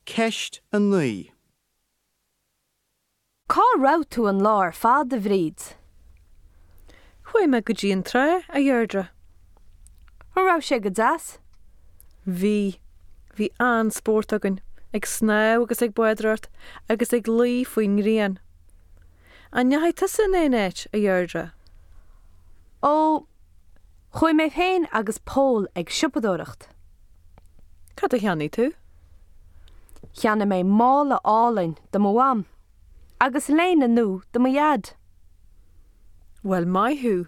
Ceist 9. Cá raibh tú an lá ar fad, a Bhríd? Chuaigh mé go dtí an trá, a Dheirdre. An raibh sé go deas? Bhí. Bhí an-spórt againn, ag snámh agus ag bádóireacht agus ag luí faoin ngrian. An ndeachaigh tusa in aon áit, a Dheirdre? Ó, chuaigh mé féin agus Pól ag siopadóireacht. Cad a cheannaigh tú? Cheannaigh mé mála álainn do mo mham agus léine nua do mo dhaid. Bhuel, maith thú!